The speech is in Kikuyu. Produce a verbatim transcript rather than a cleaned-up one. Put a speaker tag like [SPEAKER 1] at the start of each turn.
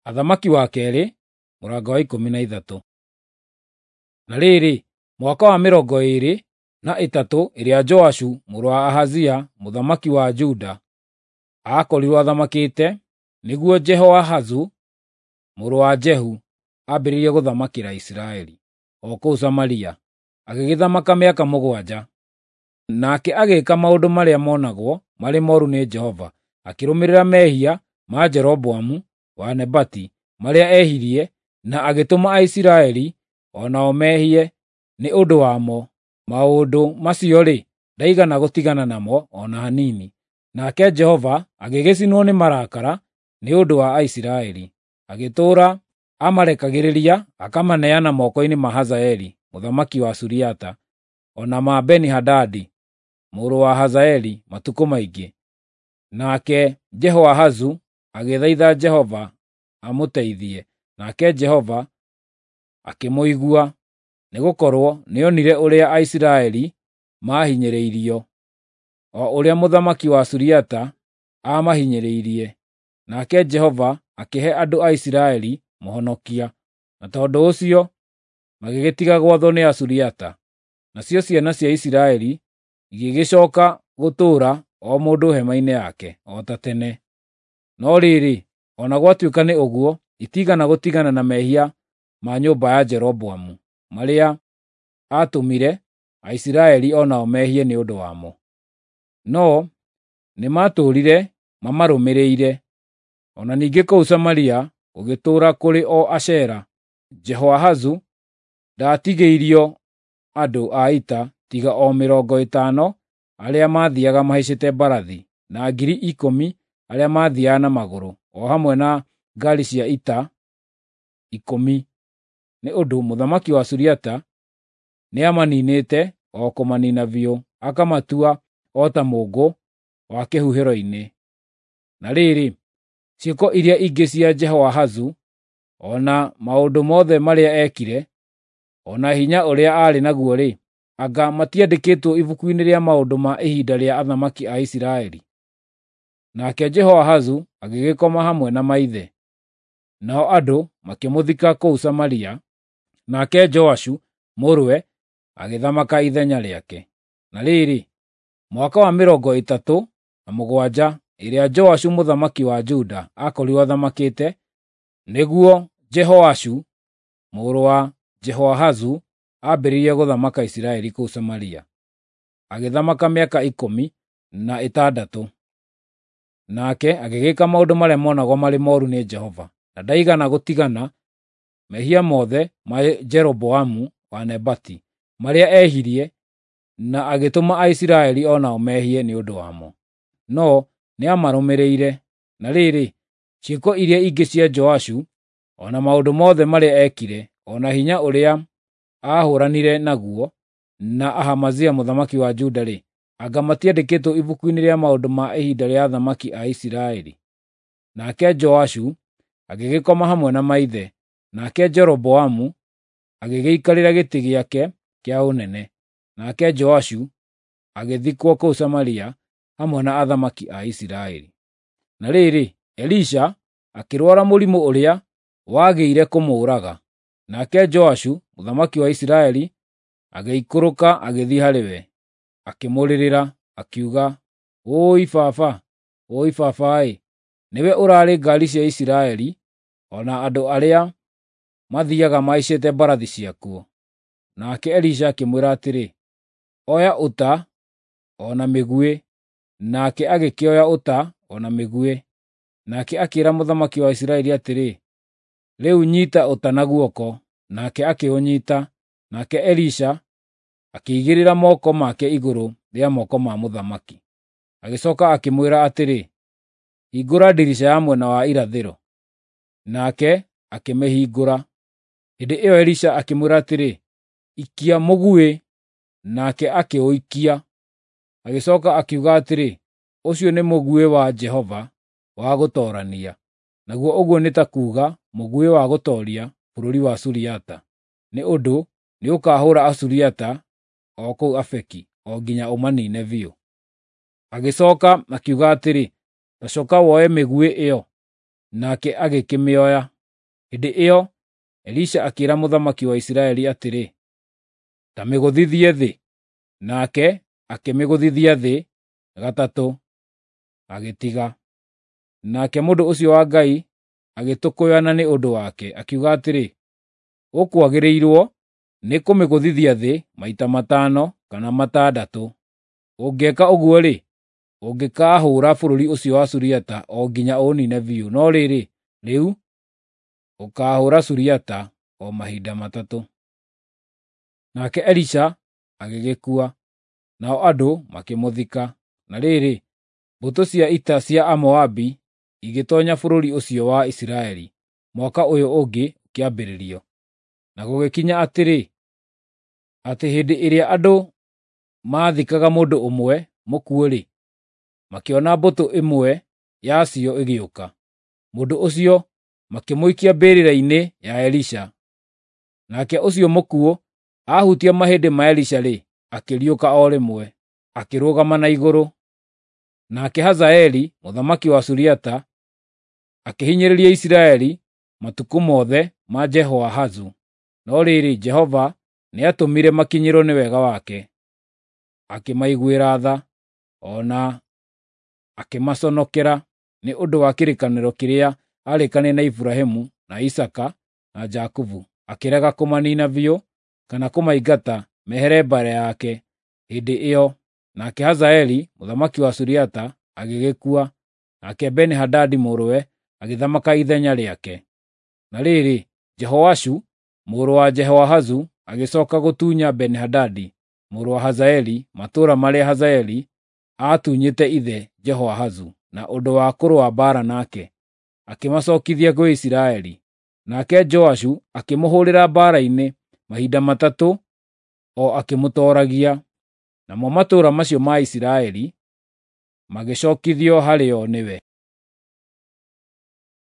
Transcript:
[SPEAKER 1] Athamaki wa keerĩ mũrango wa ikũmi na ithatũ. Na rĩrĩ, mwaka wa mĩrongo ĩĩrĩ na ĩtatũ ĩrĩa Joashu mũrũ wa Ahazia mũthamaki wa Juda aakorirwo athamakĩte, nĩguo Jehoahazu mũrũ wa Jehu ambĩrĩirie gũthamakĩra Isiraeli, o kũu Samaria, agĩgĩthamaka mĩaka mũgwanja. Nake agĩĩka maũndũ marĩa monagwo marĩ mooru nĩ Jehova, akĩrũmĩrĩra mehia ma Jeroboamu wa Nebati marĩa ehirie na agĩtũma Aisiraeli o nao mehie nĩ ũndũ wamo. Maũndũ macio-rĩ, ndaigana gũtigana namo o na hanini. Nake Jehova agĩgĩcinwo nĩ marakara nĩ ũndũ wa Aisiraeli, agĩtũũra amarekagĩrĩria akamaneana moko-inĩ ma Hazaeli mũthamaki wa Suriata, o na ma Beni-Hadadi mũrũ wa Hazaeli matukũ maingĩ. Nake Jehoahazu agĩthaitha Jehova amũteithie, nake Jehova akĩmũigua, nĩgũkorwo nĩonire ũrĩa Aisiraeli maahinyĩrĩirio, o ũrĩa mũthamaki wa Suriata aamahinyĩrĩirie. Nake Jehova akĩhe andũ a Isiraeli mũhonokia, na tondũ ũcio magĩgĩtiga gwathwo nĩ Asuriata. Nacio ciana cia Isiraeli igĩgĩcooka gũtũũra o mũndũ hema-inĩ yake, o ta tene. No rĩrĩ, o na gwatuĩka nĩ ũguo, itiigana gũtigana na mehia ma nyũmba ya Jeroboamu, marĩa aatũmire Aisiraeli o nao mehie nĩ ũndũ wamo. No nĩmatũũrire mamarũmĩrĩire. O na ningĩ kũu Samaria gũgĩtũũra kũrĩ o Ashera. Jehoahazu ndaatigĩirio andũ a ita tiga o mĩrongo ĩtano arĩa maathiiaga mahaicĩte mbarathi, na ngiri ikũmi arĩa maathiiaga na magũrũ, o hamwe na ngaari cia ita ikũmi, nĩ ũndũ mũthamaki wa Suriata nĩamaniinĩte o kũmaniina biũ, akamatua o ta mũũngũ wa kĩhuhĩro-inĩ. Na rĩrĩ, ciĩko iria ingĩ cia Jehoahazu, o na maũndũ mothe marĩa eekire, o na hinya ũrĩa aarĩ naguo-rĩ, anga matiandĩkĩtwo ibuku-inĩ rĩa maũndũ ma ihinda rĩa athamaki a Isiraeli? Nake Jehoahazu agĩgĩkoma hamwe na maithe. Nao andũ makĩmũthika kũu Samaria, nake Joashu mũrũwe agĩthamaka ithenya rĩake. Na rĩrĩ, mwaka wa mĩrongo ĩtatũ na mũgwanja ĩrĩa Joashu mũthamaki wa Juda aakorirwo athamakĩte, nĩguo Jehoashu mũrũ wa Jehoahazu ambĩrĩirie gũthamaka Isiraeli kũu Samaria. Agĩthamaka mĩaka ikũmi na ĩtandatũ. Nake agĩgĩka maũndũ marĩa monagwo marĩ mooru nĩ Jehova, na ndaigana gũtigana mehia mothe ma Jeroboamu wa Nebati, marĩa ehirie na agĩtũma Aisiraeli o nao mehie nĩ ũndũ wamo. No nĩamarũmĩrĩire. Na rĩrĩ, ciĩko iria ingĩ cia Joashu, o na maũndũ mothe marĩa eekire, o na hinya ũrĩa aahũranire naguo na Ahamazia mũthamaki wa Juda-rĩ, anga matiandĩkĩtwo ibuku-inĩ rĩa maũndũ ma ihinda rĩa athamaki a Isiraeli? Nake Joashu agĩgĩkoma hamwe na maithe, nake Jeroboamu agĩgĩikarĩra gĩtĩ gĩake kĩa ũnene. Nake Joashu agĩthikwo kũu Samaria hamwe na athamaki a Isiraeli. Na rĩrĩ, Elisha akĩrwara mũrimũ ũrĩa wagĩire kũmũũraga. Nake Joashu mũthamaki wa Isiraeli agĩikũrũka agĩthiĩ harĩ we, akĩmũrĩrĩra, akiuga, “Ũũi baba! Ũũi baba-ĩ! Nĩwe ũraarĩ ngaari cia Isiraeli, o na andũ arĩa mathiiaga mahaicĩte mbarathi ciakuo.” Nake Elisha akĩmwĩra atĩrĩ, “Oya ũta o na mĩguĩ.” Nake agĩkĩoya ũta o na mĩguĩ. Nake akĩĩra mũthamaki wa Isiraeli atĩrĩ, “Rĩu nyiita ũta na guoko.” Nake akĩũnyiita. Nake Elisha akĩigĩrĩra moko make igũrũ rĩa moko ma mũthamaki. Agĩcooka akĩmwĩra atĩrĩ, “Hingũra ndirica ya mwena wa irathĩro.” Nake akĩmĩhingũra. Hĩndĩ ĩyo Elisha akĩmwĩra atĩrĩ, “Ikia mũguĩ.” Nake akĩũikia. Agĩcooka akiuga atĩrĩ, “Ũcio nĩ mũguĩ wa Jehova wa gũtoorania.” Naguo ũguo nĩ ta kuuga mũguĩ wa gũtooria bũrũri wa Suriata, nĩ ũndũ nĩũkahũũra Asuriata o kũu Afeki, o nginya ũmaniine biũ. Agĩcooka akiuga atĩrĩ, “Ta cooka woe mĩguĩ ĩyo.” Nake agĩkĩmĩoya. Hĩndĩ ĩyo Elisha akĩĩra mũthamaki wa Isiraeli atĩrĩ, “Ta mĩgũthithie thĩ.” Nake akĩmĩgũthithia thĩ gatatũ, agĩtiga. Nake mũndũ ũcio wa Ngai agĩtũkũyana nĩ ũndũ wake, akiuga atĩrĩ, “Ũkwagĩrĩirwo nĩ kũmĩgũthithia thĩ maita matano kana matandatũ. Ũngĩka ũguo-rĩ, ũngĩkaahũũra bũrũri ũcio wa Suriata o nginya ũũniine biũ, no rĩrĩ, rĩu ũkaahũũra Suriata o mahinda matatũ.” Nake Elisha agĩgĩkua, nao andũ makĩmũthika. Na rĩrĩ, mbũtũ cia ita cia Amoabi igĩtoonya bũrũri ũcio wa Isiraeli mwaka ũyũ ũngĩ ũkĩambĩrĩrio. Na gũgĩkinya atĩrĩ, atĩ hĩndĩ ĩrĩa andũ maathikaga mũndũ ũmwe mũkuũ-rĩ, makĩona mbũtũ ĩmwe yacio ĩgĩũka. Mũndũ ũcio makĩmũikia mbĩrĩra-inĩ ya Elisha. Nake ũcio mũkuũ aahutia mahĩndĩ ma Elisha-rĩ, akĩriũka o rĩmwe, akĩrũgama na igũrũ. Nake Hazaeli mũthamaki wa Suriata akĩhinyĩrĩria Isiraeli matukũ mothe ma Jehoahazu. No rĩrĩ, Jehova nĩatũmire makinyĩrwo nĩ wega wake, akĩmaiguĩra tha, o na akĩmaconokera nĩ ũndũ wa kĩrĩkanĩro kĩrĩa aarĩkanĩire na Iburahĩmu, na Isaaka, na Jakubu, akĩrega kũmaniina biũ kana kũmaingata mehere mbere yake hĩndĩ ĩyo. Nake Hazaeli mũthamaki wa Suriata agĩgĩkua, nake Beni-Hadadi mũrũwe agĩthamaka ithenya rĩake. Na rĩrĩ, Jehoashu mũrũ wa Jehoahazu agĩcooka gũtunya Beni-Hadadi mũrũ wa Hazaeli matũũra marĩa Hazaeli aatunyĩte ithe Jehoahazu na ũndũ wa kũrũa mbaara nake, akĩmacookithia gwĩ Isiraeli. Nake Joashu akĩmũhũũrĩra mbaara-inĩ mahinda matatũ o akĩmũtooragia. Namo matũũra macio ma Isiraeli magĩcookithio harĩo nĩwe.